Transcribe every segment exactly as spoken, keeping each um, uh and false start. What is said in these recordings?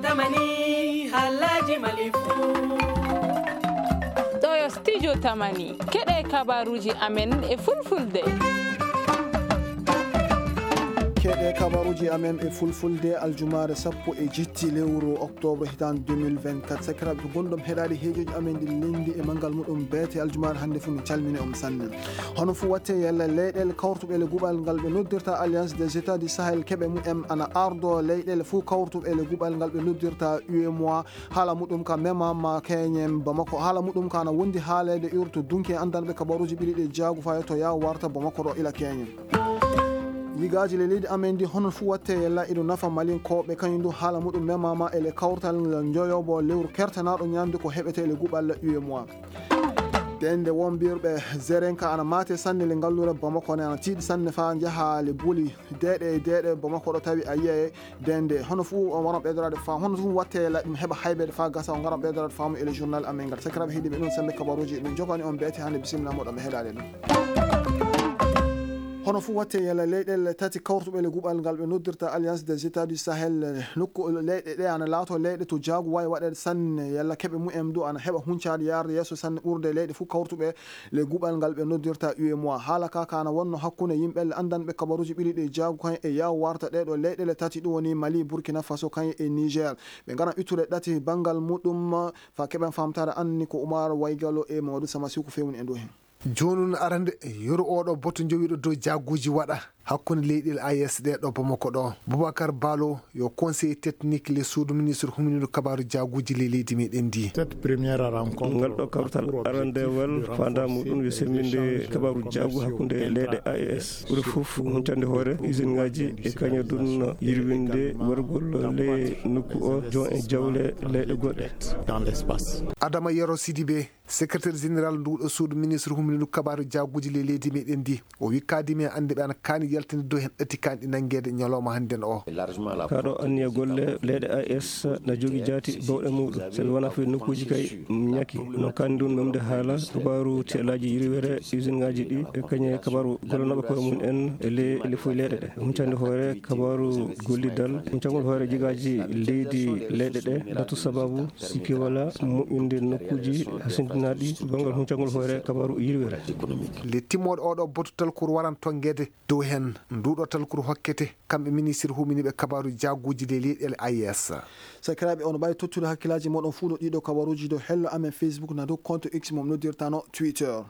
Tamani, haalaaji Mali fuu. Ɗo yo studio Tamani. Keɗee kabaaruuji amen e fulfulde. Keɗee kabaaruuji amen e fulfulde, aljumaare sappo e jetti lewru oktoobre hitaande deux mille vingt-quatre. Sakiraaɓe, ko gonɗon heɗaade heejooji amen ɗi lenndi e manngal muɗum beete aljumaare hannde fuu, min calmini on sanne. Hono fuu watte yalla leyɗeele kawrutuɓe le guɓal ngal ɓe noddirta Alliance des États du Sahel keɓe mumen ana ardoo leyɗeele fuu kawrutuɓe le guɓal ngal ɓe noddirta U E M O A. Haala muɗum ka memaama keñen Bamako. Haala muɗum ka ana wondi haaleede urto dunki e anndanɓe kabaruuji ɓiɗi ɗi jaagu faa yetto yaa warta Bamako ɗo ila keñen. Yigaaji le leydi amen ndi hono fuu watte yalla iɗo nafa Malinkooɓe kañum du haala muɗum memaama e le kawtal njoyobo lewru kertanaaɗo ñaamde ko heɓetee le guɓal U E M O A. Dende wombirɓe Zerenka ana maate sanne le ngalluure Bamako ne ana tiiɗi sanne faa njaha le buli deeɗe e deeɗe Bamako ɗo tawi a yiya e dende. Hono fuu on waran ɓeydoraade faamu, hono fuu watte la ɗum heɓa haybeede faa gasa on ngaran ɓeydoraade faamu e le journal amen ngal. Sakiraaɓe heɗiiɓe ɗum sembe kabaruuji ɗum jogani on beete hannde bisimilla moɗon mi heɗaade ɗum. Hono fuu watte yalla leyɗeele tati kawrutuɓe le guɓal ngal ɓe noddirta Alliance des États du Sahel, nokku leyɗe ɗe ana laato leyɗe to jaagu waawi waɗeede sanne yalla keɓe mumen du ana heɓa huncaade yaarde yeeso sanne ɓurde leyɗe fuu kawrutuɓe le guɓal ngal ɓe noddirta U E M O A. Haala ka ka ana wonno hakkunde yimɓe le anndanɓe kabaruuji ɓiɗi ɗi jaagu kañum e yaw warta ɗee ɗo leyɗeele tati ɗum woni Mali, Burkina Faso kañum e Niger. Ɓe ngaran ittude ɗati banngal muɗum faa keɓen faamtaare anni ko Umar Waygalo e Mamadou Samasiku feewni e dow heen. Jooni non arande yoro oo ɗoo boto njowiiɗo dow jaaguuji waɗa hakkunde leyɗeele A E S ɗee ɗo Bamako ɗo. Boubacar Balo yo conseiller technique le suudu ministre huminiiɗo kabaaru jaaguuji ley leydi meɗen ndi. Cette première rencontre. Ngal ɗo kawtal arandewal faandaare muɗum yo semmbinde kabaaru jaagu hakkunde leyɗe A E S. Ɓuri fof huncande hoore usine ŋaaji e kañadun yirwinde wargol ley nokku o jon e jawle leyɗe goɗɗe. Dans l'espace. Adama Yero Sidibé, secrétaire général nduuɗo suudu ministre huminiiɗo kabaaru jaaguuji ley leydi meɗen ndi, o wi kaadi men annde ɓe ana kaani yaltinde dow heen ɗati kaanɗi nanngeede ñalawma hannden o. Kaa ɗo anniya golle leyɗe A E S na jogii jaati bawɗe muɗum. Sabi wonaa fii nokkuuji kay ñaki. No kaani ɗum memde haala kabaaru teelaaji yirwere usine ŋaaji ɗi e kañe kabaaru gollanooɓe koye mum en e ley lefuy leyɗe ɗe. Huncande hoore kabaaru gollidal, huncangol hoore jigaaji leydi leyɗe ɗe, latu sababu sikke wala moƴƴinde nokkuuji hasindinaaɗi banngal huncangol hoore kabaaru yirwere. Le timmooɗo oo ɗoo boto talkuru waran tonngeede dow heen. Nduuɗo talkuru hokkete kamɓe ministre huminiiɓe kabaaru jaaguuji ley leyɗeele A E S. Sakiraaɓe, on mbaawi tottude hakkillaaji mooɗon fuu ɗo ɗiiɗo kabaruuji dow hello amen Facebook na dow compte X mo noddirtano Twitter.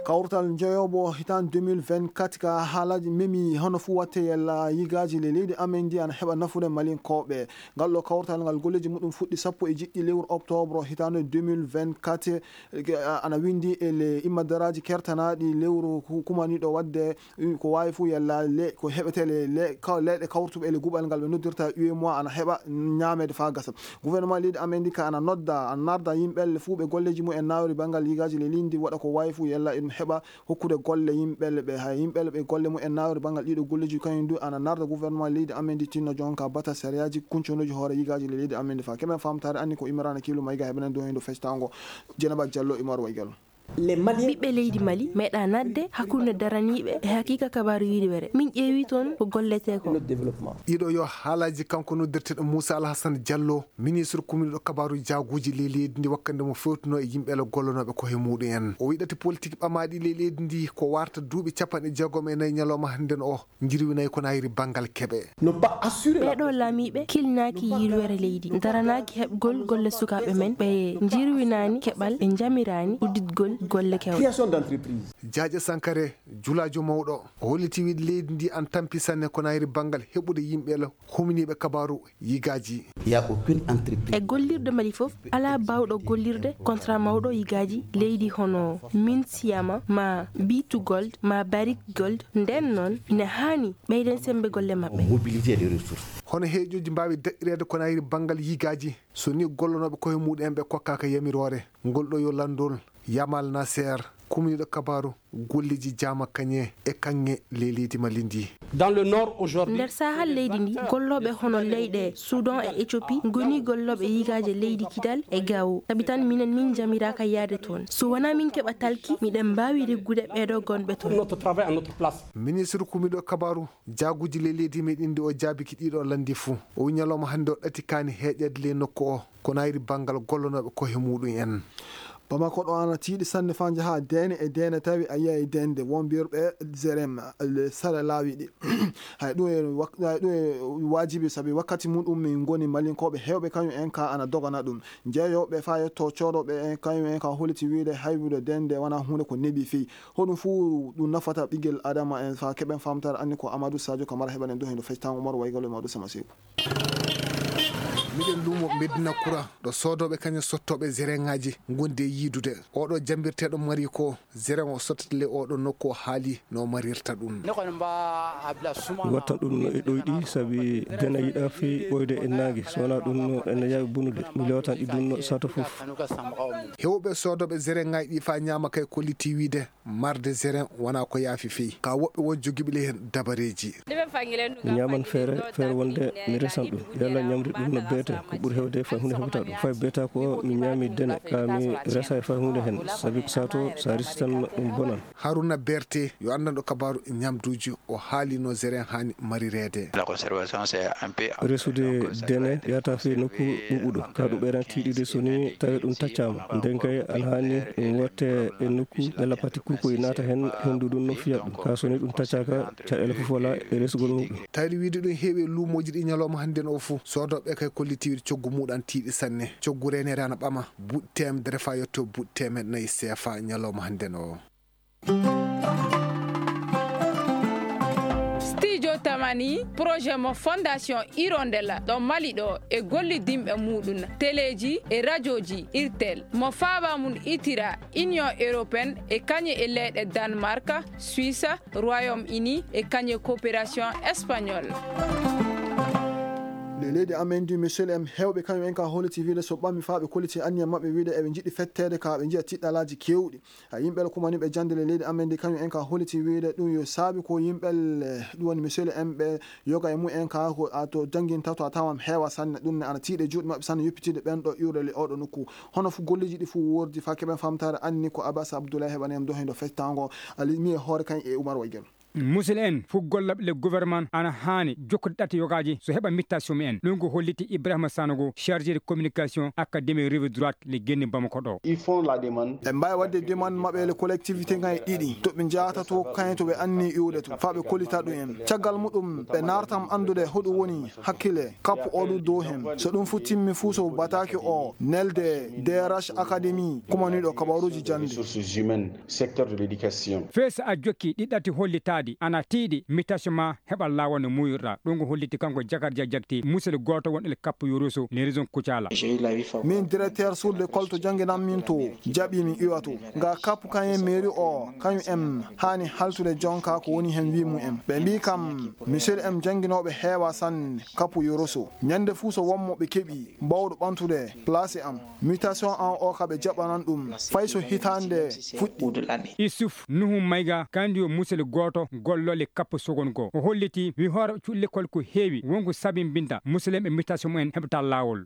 Kawrutal njoyobo hitaande deux mille vingt-quatre ka haalaaji memi hono fuu watte yalla yigaaji le leydi amen ndi ana heɓa nafude Malinkooɓe. Ngal ɗo kawrutal ngal golleeji muɗum fuɗɗi sappo e jeɗɗi lewru oktoobre hitaande deux mille vingt-quatre, eh, ana winndi e le immadaraaji kertanaaɗi lewru ku-, kumaniiɗo waɗde, eh, ko waawi fuu yalla le-, ko heɓetee le-, le-, ka-, leyɗe kawrutuɓe e le guɓal ngal ɓe noddirta U E M O A ana heɓa ñaameede faa gasa. Gouvernement leydi amen ndi ka ana nodda, ana narda yimɓe le fuu ɓe golleeji mumen naawri banngal yigaaji le leydi ndi waɗa ko waawi fuu yalla eɗum heɓa hokkude golle yimɓe le ɓe. Hay yimɓe le ɓe golle mumen naawri banngal ɗiiɗo golleeji kañum du ana narda gouvernement leydi amen ndi tinno jonka bata sariyaaji kunconooji hoore yigaaji le leydi amen ndi faa. Keɓen faamtaare anni ko Imrana Kiilu Mayga heɓanen dow heen dow feccitaango Jenaba Jallo Imar Waygal. Ɓiɓɓe leydi Mali meeɗaa naatde hakkunde daraniiɓe e hakiika kabaaru yirwere. Min ƴeewii toon ko golletee ko. Ɗiɗo yo haalaaji kanko noddirteeɗo Muusa Alhasan Jallo, ministre kuminiiɗo kabaaru jaaguuji ley leydi ndi wakkati nde mo fewtunoo e yimɓe le gollanooɓe ko he muuɗum en. O wiɗati politik ɓamaaɗi ley leydi ndi ko warta duuɓi capanɗe jeegom e nayi ñalawma hannden o. Njirwinay ko naayiri banngal keɓe. Ɓee ɗoo laamiiɓe kilnaaki yirwere leydi, daranaaki heɓgol golle sukaaɓe men, ɓe njirwinaani keɓal, ɓe njamiraani udditgol golle kewɗe. Jaaƴe Sankare, julaajo mawɗo, o holliti wiide leydi ndi ana tampi sanne ko naayiri banngal heɓude yimɓe le huminiiɓe kabaaru yigaaji. E gollirɗe Mali fof, alaa baawɗo gollirde contrat mawɗo yigaaji leydi hono Minsiyama, maa B two Gold, maa Barrick Gold. Ndeen noon, ina haani ɓeyden semmbe golle maɓɓe. Hono heejooji mbaawi daɗɗireede ko naayiri banngal yigaaji, so nii gollanooɓe koye muɗum en ɓe kokkaaka yamiroore? Ngol ɗo yo lanndol Yamal Naseer, Kumniiɗo kabaaru golleeji jaama kañe e kaŋŋe ley leydi Mali ndii. Nder saahal leydi ndii, gollooɓe hono leyɗe Sudan e Ethiopie ngonii gollooɓe yigaaje leydi Kidal e Gao. Sabi tan minen min njamiraaka yahde toon. So wanaa min keɓa talki, miɗen mbaawi reggude ɓeeɗoo gonɓe toon. Ministre kumniiɗo kabaaru jaaguuji ley leydi meɗen ndi o jaabiki ɗiɗo lanndi fuu. O wiyi ñalawma hannde o ɗatikaani heeƴeede ley nokku o. Ko naayiri banngal gollonooɓe kohe muuɗum en. Bamako ɗo ana tiiɗi sanne faa njahaa deene e deene tawi a yiyay deende won mbiyerɓe Zerem le sara laawi ɗi. Hay ɗum e wak- hay ɗum e waajibi sabi wakkati muɗum min ngoni malinkooɓe heewɓe kañum en ka ana dogana ɗum. Jeeyooɓe faa yetto coodooɓe en kañum en ka holiti wiide haybude deende wonaa huunde ko neeɓi fii. Hoɗum fuu ɗum nafata ɓiggel Adama en faa keɓen faamtaare anni ko Amadou Sadio Kamara heɓanen ɗum heno fectaango maro waygalo e Maodo Sama Seeku. Miɗen luumo Medina Kura ɗo soodooɓe kañum sottooɓe zereŋaaji ngondi e yiidude. Oɗo jambirteeɗo mari ko zereŋ o sottata le oɗo nokku o haali no marirta ɗum. Watta ɗum no e ɗoyɗi sabi dena yiɗa fii ɓoyde e naange so wonaa ɗum no ene yaawi bonude mi lewtan ɗi ɗum no sato fof. Heewɓe soodooɓe zereŋaaji ɗi faa ñaama kay kolliti wiide marde zereŋ wonaa ko yaafi fii ka woɓɓe won jogiiɓe le heen dabareeji. Mi ñaaman feere feere wonde mi resan ɗum yalla ñamri ɗum no beete ko ɓuri heewde fay huunde heɓata ɗum fay beeta ko mi ñaami dene ka mi resa e fay huunde heen sabi ko sato so a resi tan ɗum bonan. Haruna Berte yo anndanɗo kabaaru ñamduuji o haali no zereŋ haani marireede. Resude dene yahata fii nokku ɓuuɓuɗo ka ɗum ɓeyran tiiɗirde so ni tawi ɗum taccaama nden kay ana haani ɗum watte e nokku ɓe lapati kuukoy naata heen henndu ɗum no fiya ɗum ka so ni ɗum taccaaka caɗeele fof wala e resugol muɗum. Tawde wiide ɗum heewi e luumooji ɗi ñalawma hannden o fof soodooɓe kay kolliti wiide coggu muɗum ana tiiɗi sanne. Coggu reeneede ana ɓama buuɗi teemedere faa yetto buuɗi teemeɗɗe nayi seefa ñalawma hannden o. Studio Tamani projet mo Fondation Hirondelle ɗo Mali ɗo e gollidinɓe muɗum teleeji e rajooji irtel mo faaba mum itira Union Européenne e kañe e leyɗe Danemark, Suisse, Royaume Uni e kañe coopération espagnole. Ley leydi amen ndi Michel M heewɓe kañum en ka holliti wiide so ɓami faa ɓe kolliti anniya maɓɓe wiide eɓe njiɗi fetteede ka ɓe njiya tiɗɗalaaji keewɗi. Yimɓe kumaniiɓe jannde ley leydi amen ndi kañum en ka holliti wiide ɗum yo saabi ko yimɓe ɗum woni Michel M ɓe yoga e mum en ka ko a to jannginta to a tawan heewa sanne ɗum ne ana tiiɗe juuɗe maɓɓe sanne yoppitide ɓen ɗo iwrele oɗo nokku. Hono fu golleeji ɗi fuu wordi faa keɓen faamtaare anni ko Abbas Abdoulaye heɓani en dohindo fectaango ali mi e hoore kañ e Oumar Waygel. Musil en fuu gollaɓe le gouvernement ana haani jokkude ɗate yogaaji so heɓa mittaasi mumen. Ɗum ko holliti Ibrahima Sanogo, chargé de communication Académie Rive Droite le Genni Bamako ɗo. Ɓe mbaawi waɗde demande maɓɓe le collectivité ŋay ɗiɗi to ɓe njahata to kañe to ɓe anni iwde to faa ɓe kollita ɗum en. Caggal muɗum ɓe naartam anndude hoɗum woni hakkille kappu oo ɗum dow hen. So ɗum fuu timmi fuu so bataaki o nelde D R H Académie kumaniiɗo kabaruuji jannde. Secteur de l'éducation. Fee so a jokkii ɗi ɗati hollitaadi ana tiiɗi mittaasi maa heɓa laawol no muuyirɗaa. Ɗum ko holliti kanko Jakar Dia Jakti musel gooto won el kappu Yoroso le région Kucala. Min directeur sur l'école to jannginanmi to jaɓi mi iwa to. Nga kappu kañum mairie o kañum en haani haltude jonka ko woni hen wii mum en. Ɓe mbii kam monsieur M jannginooɓe heewa sanne kappu Yoroso. Ñannde fuu so won mo ɓe keɓi baawɗo ɓamtude place am. Mutation an o ka ɓe jaɓanan ɗum fay so hitaande fuɗɗi. Isuf Nuhu Mayga kandi yo musel gooto gollole kappo sogon goo. O holliti wi hoore cuɗi lekkol ko heewi wonko sabimbinta muselem e mutation mumen heɓata laawol.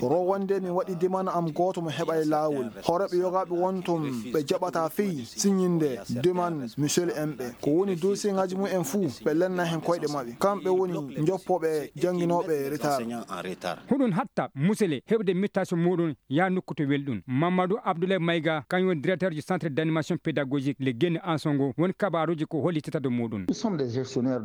Ro wonde mi waɗi demande am gooto mo heɓay laawol. Hooreeɓe yogaaɓe won ton ɓe jaɓata fey siñinde demande monsieur M ɓe. Ko woni dossier ŋaaji mum en fuu ɓe lenna hen koyɗe maɓɓe. Kamɓe woni njoppooɓe jannginooɓe retard. Huɗun hatta musele heɓude mutation muɗum yaa nokku to welɗum. Mamadou Abdoulaye Mayga kañum woni directeur du centre d'animation pédagogique le Guéni Ansongo woni kabaruuji ko hollitata dow muɗum.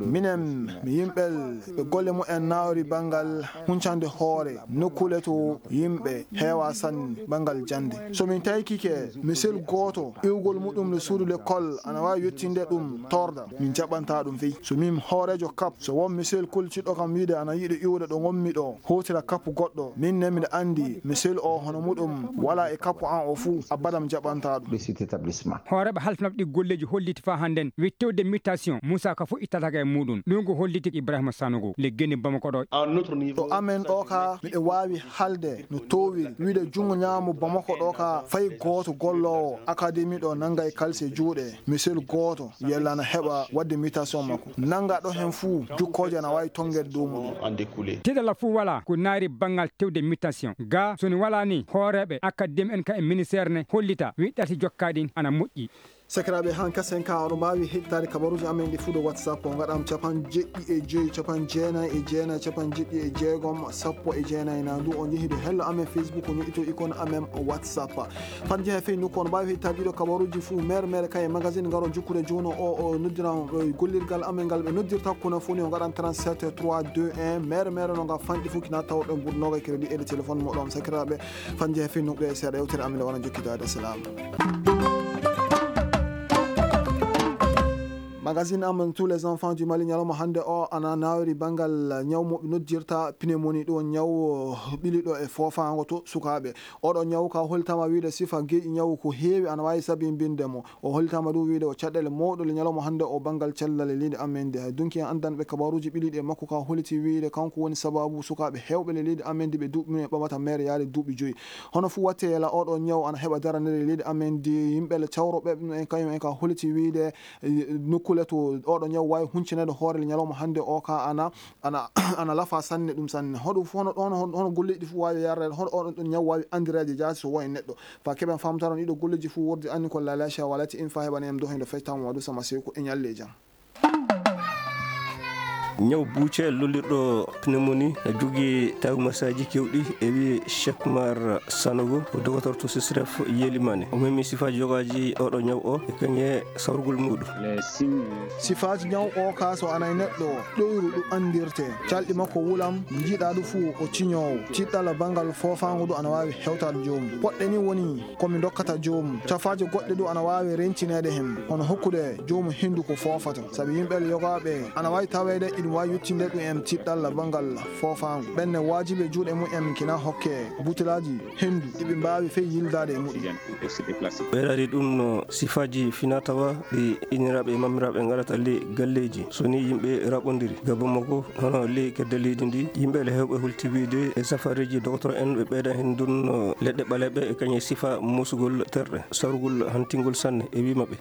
Minen mi yimɓel ɓe golle mumen nawri banngal huncande hoore nokkuule to yimɓe heewa sanne banngal jannde. So min taykike misel gooto iwgol muɗum le suudu lekkol ana waawi yettinde ɗum torda min jaɓanta ɗum fey. So min hooreejo kap so won misel koltiɗo kam wiide ana yiɗi iwde ɗo ngonmi ɗo hotira kap goɗɗo min ne miɗa anndi misel o hono muɗum wala e kap an o fuu abadam jaɓanta ɗum. Hooreeɓe halfinooɓe ɗi golleeji holliti faa hannden wi tewde mutation, Muusa ka fof ittata ka e muuɗum. Ɗum ko holliti Ibrahima Sanogo, le geni Bamako ɗo. To amen ɗoo kaa, miɗo waawi haalde no toowiri, wiyde junngo ñaamo Bamako ɗoo kaa, fay gooto golloowo akademi ɗoo nannga e kalse juuɗe, misel gooto, yalla ana heɓa waɗde mutation makko. Nannga ɗo heen fuu, jukkooje ana waawi tonngeede dow muɗum. Tiiɗalla fuu walaa ko naari banngal tewde mutation. Gaa, so ni walaa nii, hooreeɓe akademi en ka e ministeer ne hollita, wiɗɗati jokkaa ɗin ana moƴƴi. Sakiraaɓe, han kasen ka, oɗo mbaawi heɗitaade kabaruuji amen ɗi fuu dow WhatsApp. O ngaɗam capanɗe jeɗɗi e joy, capanɗe jeenayi e jeenayi, capanɗe jeɗɗi e jeegom, sappo e jeenayi. Na ndu o njehi dow hello amen Facebook, o ñoƴƴito ikon amen WhatsApp. Fande jehe fey nokku, oɗo mbaawi heɗitaade ɗiɗo kabaruuji fuu mere mere ka e magazine ngaro jukkude jooni o, o noddiran, e gollirgal amen ngal ɓe noddirta kuna fuu ni, o ngaɗan trente-sept trois deux un. Mere mere no ngal fanɗi fuu kina tawɗo mbuuɗu noogay crédit e téléphone moɗon. Sakiraaɓe, fande jehe fey nokku ɗo e seeɗa yewtere amen nde wona jokkitaade. Salaam. Magazine amen Tous les enfants du Mali ñalawma hannde o ana nawiri banngal ñaw mo ɓe noddirta pneumonie, ɗo ñaw ɓiliɗo e foofaango to sukaaɓe. Oɗo ñaw ka hollitaama wiide sifa geeƴi ñaw ko heewi ana waawi sabimbinde mo. O hollitaama ɗum wiide o caɗeele mawɗo le ñalawma hannde o banngal cellal e leydi amen ndi. Hay dunki en anndanɓe kabaruuji ɓiliɗi e makko ka holliti wiide kanko woni sababu sukaaɓe heewɓe le leydi amen ndi ɓe duuɓi mum en ɓamata mere yaade duuɓi joyi. Hono fuu watte yela oɗo ñaw ana heɓa daranere e leydi amen ndi, yimɓe le cawroɓe ɗum en kañum en ka holliti wiide, eh, nokkuule to oɗo ñaw waawi huncineede hoore le ñalawma hannde o ka ana, ana, ana lafa sanne ɗum sanne. Hoɗum fuu hono ɗon, hono, hono golleeji ɗi fuu waawi yarreede, hono oɗon ɗon ñaw waawi anndireede jaati so woni neɗɗo. Fa keɓen faamtaron ɗiɗo golleeji fuu wordi anni ko lalacia walati in fa heɓani en dohindo fectaama wadu sama seeku e ñalle e jam. Ñaw buuce lollirɗo pneumonie jogii tawmasaaji keewɗi, e wii Cheikh Mar Sanogo, ko dogotor to Sisref Yelimane. O memi sifaaji yogaaji oɗo ñaw o e kañe sawrugol muuɗum. Sifaaji ñaw o ka so ana e neɗɗo ɗoyru ɗum anndirte. Calɗi makko wulam, njiiɗaa ɗum fuu o ciñoowo. Tiɗɗala banngal foofaango ɗum ana waawi hewtaade joomum. Poɗɗe ni woni ko mi ndokkata joomum. Cafaaje goɗɗe ɗum ana waawi reentineede heen, hono hokkude joomum henndu ko foofata. Sabi yimɓe yogaaɓe ana waawi taweede iɗum waawi yettinde ɗum en tiɗɗalla banngal foofaango. Ɓen ne waajibi e juuɗe mum en kina hokke butelaaji henndu ɗi ɓe mbaawi fey yildaade e muɗum. Ɓeydaade ɗum no sifaaji finaa tawa ɗi inniraaɓe e mammiraaɓe ngaɗata ley galleeji. So ni yimɓe raɓondiri, gabbo makko hono ley kedde leydi ndi, yimɓe le heewɓe hulti wiide e safareeji dogotoro en ɓe ɓeyda heen ndun leɗɗe ɓaleeɓe e kañe sifa musugol terɗe, sarugol hantingol sanne e wii maɓɓe.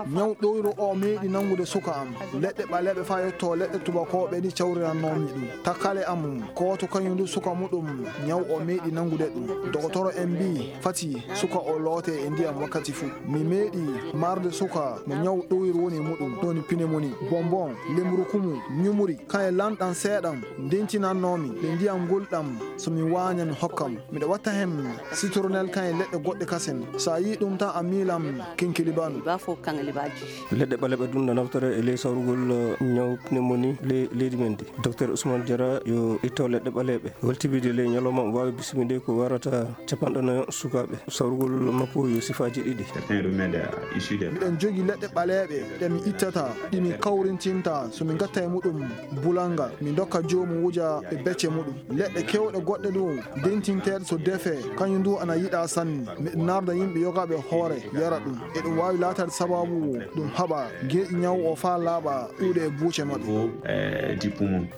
Ñaw ɗoyro o meeɗi nanngude suka am. Leɗɗe ɓaleeɓe faa yetto leɗɗe tubakooɓe ɗi cawrirannoomi ɗum. Takkale am, gooto kañum du suka muɗum, ñaw o meeɗi nanngude ɗum. Dogotoro en mbii, fati suka o loote e ndiyam wakkati fuu. Mi meeɗi marde suka mo ñaw ɗoyro woni e muɗum, ɗum woni pneumonie. Bonbon, lemrukumu, ñumuri, kañe lanɗam seeɗam, ndentinannoomi, nde ndiyam ngulɗam, so mi waaña mi hokka mo. Miɗo watta heen citronnelle kañe leɗɗe goɗɗe kasen. So a yii ɗum tan a miilan kinkilibanu. Leɗɗe ɓaleeɓe ɗum na naftore e ley sawrugol, eh, ñaw pneumonie ley leydi men ndi. Docteur Ousmane Diarra yo itto leɗɗe ɓaleeɓe. Holti wiide ley ñalawma o waawi bismide ko warata capanɗe nayo sukaaɓe. Sawrugol makko yo sifaaji ɗiɗi. Miɗen jogii leɗɗe ɓaleeɓe ɗe mi ittata, ɗi mi kawrintinta, so mi ngatta e muɗum bulalngal, mi ndokka joomum wuja e becce muɗum. Leɗɗe keewɗe goɗɗe ɗum dentinteeɗe so defee, kañum duu ana yiɗaa sanne. Miɗo naarda yimɓe yogaaɓe hoore yara ɗum. Eɗum waawi laataade sabaabu ɗum haɓa geeƴi ñaw o faa laaɓa iwde e buuce maɓɓe.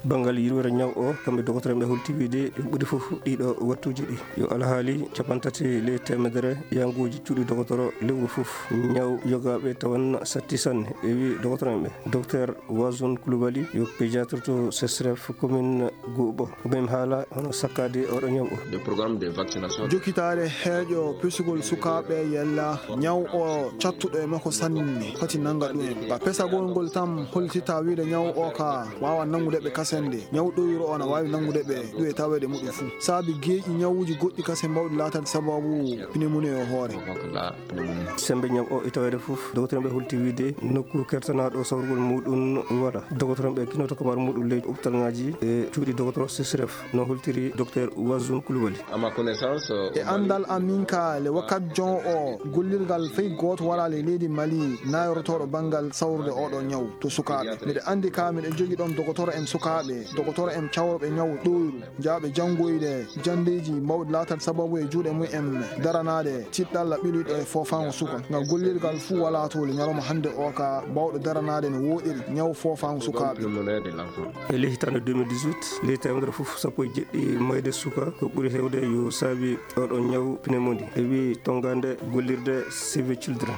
Banngal yirwere ñaw o, kamɓe dogotoro ɓe holti wiide ɓe ɓuri fof ɗiɗo wattuuji ɗi. Yo alhaali cappanɗe tati ley teemedere yaanguuji cuuɗi dogotoro lewru fof. Ñaw yogaaɓe tawan satti sanne, e wii dogotoro en ɓe. Docteur Wazun Koulibaly yo pédiatre to Sesref commune Goubo. Ko ɓe mi haala hono sakkaade oɗo ñaw o. Jokkitaade heeƴo pesugol sukaaɓe yalla ñaw o cattuɗo e makko sanne foti nannga ɗum en. Ba pesagol ngol tan holtita wiide ñaw o ka waawa nanngude ɓe kasende. Ñaw ɗoyro o ana waawi nanngude ɓe ɗum e taweede muɗum fuu. Saabi geeƴi ñawuuji goɗɗi kasen mbawɗi laataade sababu pneumonie o hoore. Sembe ñaw o e taweede fof, dogotoro ɓe holti wiide nokku kertanaaɗo sawrugol muɗum wala. Dogotoro ɓe kinoto kabar muɗum ley hôpital ŋaaji e cuuɗi dogotoro Sesref, no holtiri docteur Wazun Koulibaly. E anndal am min ka le wakkat jon o gollirgal fey gooto wala le leydi Mali nayorotooɗo banngal sawrude oɗo ñaw to sukaaɓe. Miɗo Hannde kaa miɗen jogii ɗoon dogotoro en sukaaɓe, dogotoro en cawruɓe ñaw ɗooyru, jaaɓe janngoyde janndeeji mawɗi laataade sababu e juuɗe mum en daranaade tiiɗalla ɓiluɗo e foofaango suka. Ngal gollirgal fuu walaa toole ñalawma hannde oo kaa baawɗo daranaade no wooɗiri ñaw foofaango sukaaɓe. E ley hitaande deux mille dix-huit, ley teemedere fof sappo e jeɗɗi mayde suka ko ɓuri heewde yo saabi oɗo ñaw pneumonie. E wii tonngaande gollirde Save Children.